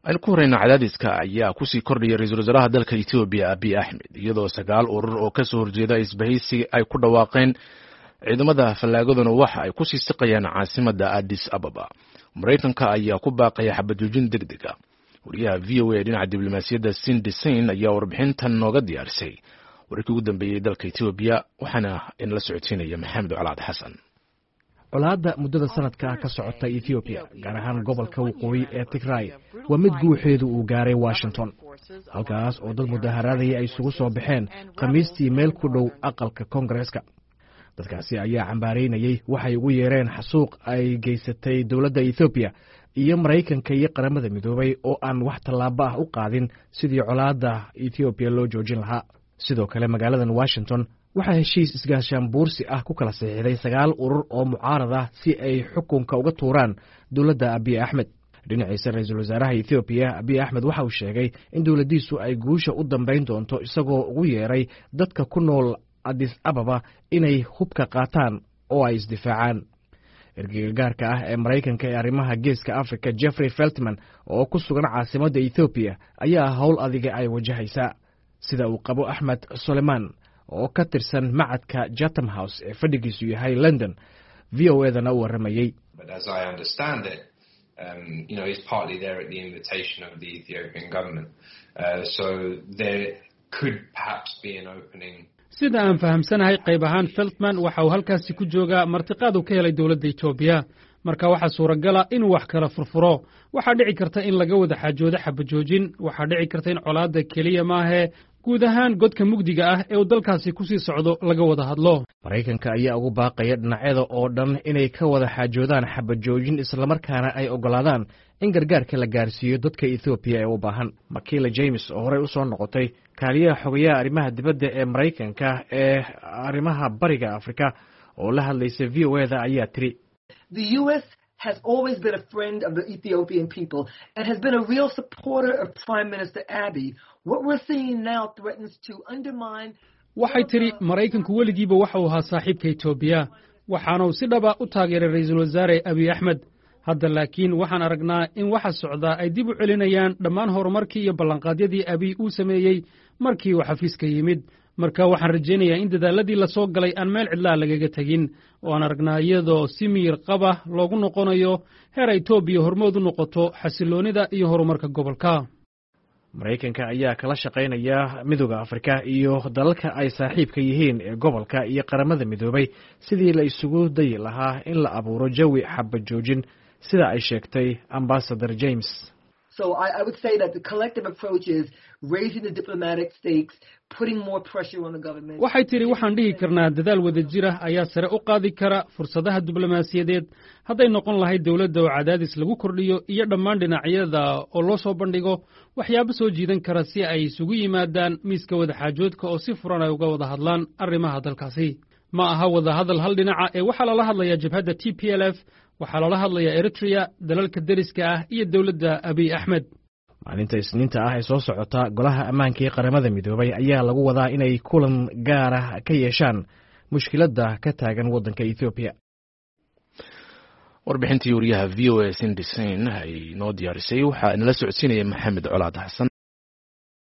Aynu ku horeyna, cadaadiska ayaa kusii kordhaya ra-iisul wasaaraha dalka Etoobiya, Abiy Axmed, iyadoo sagaal urur oo kasoo horjeeda isbahaysi ay ku dhawaaqeen. Ciidamada fallaagaduna waxa ay kusii siqayaan caasimada Addis Ababa. Maraykanka ayaa ku baaqaya xabajoojin deg deg a. Wariyaha VOA dhinaca diblomaasiyadda, Cindy Saine, ayaa warbixintan nooga diyaarisay wararkii ugu dambeeyey dalka Etoobiya, waxaana inala socodsiinaya Maxamed Colaad Xasan. Colaadda muddada sanadka ah ka socota Etoobiya, gaar ahaan gobolka waqooyi ee Tigray, waa mid guuxeedu uu gaaray Washington, halkaas oo dad mudaharaadaya ay isugu soo baxeen Khamiistii meel ku dhow aqalka Koongareeska. Dadkaasi ayaa cambaaraynayey waxay ugu yeereen xasuuq ay geysatay dowladda Etoobiya iyo Maraykanka iyo Qaramada Midoobay oo aan wax tallaabo ah u qaadin sidii colaadda Etoobiya loo joojin lahaa. Sidoo kale, magaaladan Washington waxaa heshiis isgaashaan buursi ah ku kala saxiixday sagaal urur oo mucaarad ah si ay xukunka uga tuuraan dowladda Abiy Axmed. Dhinaciisa, ra-iisul wasaaraha Etoobiya, Abiy Axmed, waxa uu sheegay in dowladdiisu ay guusha u dambayn doonto, isagoo ugu yeeray dadka ku nool Adis Ababa inay hubka qaataan oo ay isdifaacaan. Ergeyga gaarka ah ee Maraykanka ee arrimaha Geeska Africa, Jeffrey Feltman, oo ku sugan caasimadda Etoobiya, ayaa howl adiga ay wajahaysaa, sida uu qabo Axmed Soleman oo ka tirsan macadka Chatham House ee fadhigiisu yahay London, VOA-dana u warramayey. He's partly there at the invitation of the Ethiopian government. So there could perhaps be an opening. Sida aan fahamsanahay, qayb ahaan Feltman waxa uu halkaasi ku joogaa martiqaad uu ka helay dowladda Etoobiya. Marka waxaa suuragala inuu wax kala furfuro. Waxaa dhici karta in laga wada xaajoodo xabajoojin. Waxaa dhici karta in colaadda keliya maahee guud ahaan godka mugdiga ah ee uu dalkaasi ku sii socdo laga wada hadlo. Maraykanka ayaa ugu baaqaya dhinacyada oo dhan inay ka wada xaajoodaan xabajoojin, islamarkaana ay oggolaadaan in gargaarka la gaarsiiyo dadka Etoobiya ee u baahan. Makila James, oo horey u soo noqotay kaaliyaha xogayaha arrimaha dibadda ee Maraykanka ee arrimaha Bariga Afrika, oo la hadlaysa VOA-da, ayaa tiri: Has always been a friend of the Ethiopian people and has been a real supporter of Prime Minister Abiy. What we're seeing now threatens to undermine. Waxay tidhi, Maraykanku weligiiba waxa uu ahaa saaxiibka Etoobiya, waxaana uu si dhaba u taageeray Ra'iisul Wasaare Abiy Axmed. Hadda laakiin waxaan aragnaa in waxa socdaa ay dib u celinayaan dhammaan horumarkii iyo ballanqaadyadii Abiy uu sameeyey markii uu xafiiska yimid. Marka waxaan rajaynayaa in dadaaladii la soo galay aan meel cidlaa lagaga tegin, oo aan aragnaa iyadoo si miyir qaba loogu noqonayo heer Etoobiya hormood u noqoto xasilloonnida iyo horumarka gobolka. Maraykanka ayaa kala shaqaynaya Midooda Afrika iyo dalalka ay saaxiibka yihiin ee gobolka iyo Qaramada Midoobay sidii la isugu dayi lahaa in la abuuro jawi xabad joojin, sida ay sheegtay Ambassador James. So I would say that the collective approach is raising the diplomatic stakes, putting more pressure on the government. Waxay tidhi, waxaan dhihi karnaa dadaal wadajir ah ayaa sare u qaadi kara fursadaha diblomaasiyadeed, hadday noqon lahayd dowladda oo cadaadis lagu kordhiyo iyo dhammaan dhinacyada oo loo soo bandhigo waxyaabo soo jiidan kara si ay isugu yimaadaan miiska wadaxaajoodka oo si furan ay uga wada hadlaan arrimaha dalkaasi. Ma aha wadahadal hal dhinaca ee waxaa lala hadlayaa jabhadda TPLF, waxaa lala hadlayaa Eritrea, dalalka deriska ah iyo dowladda Abiy Axmed. Maalinta Isniinta ah ee soo socota, Golaha Ammaanka ee Qaramada Midoobay ayaa lagu wadaa inay kulan gaara ka yeeshaan mushkiladda ka taagan waddanka Etoobiya. Warbixintii wariyaha VOA, Cindy Saine, ay noo diyaarisay waxaa inala socodsiinaya Maxamed Colaad Xasan.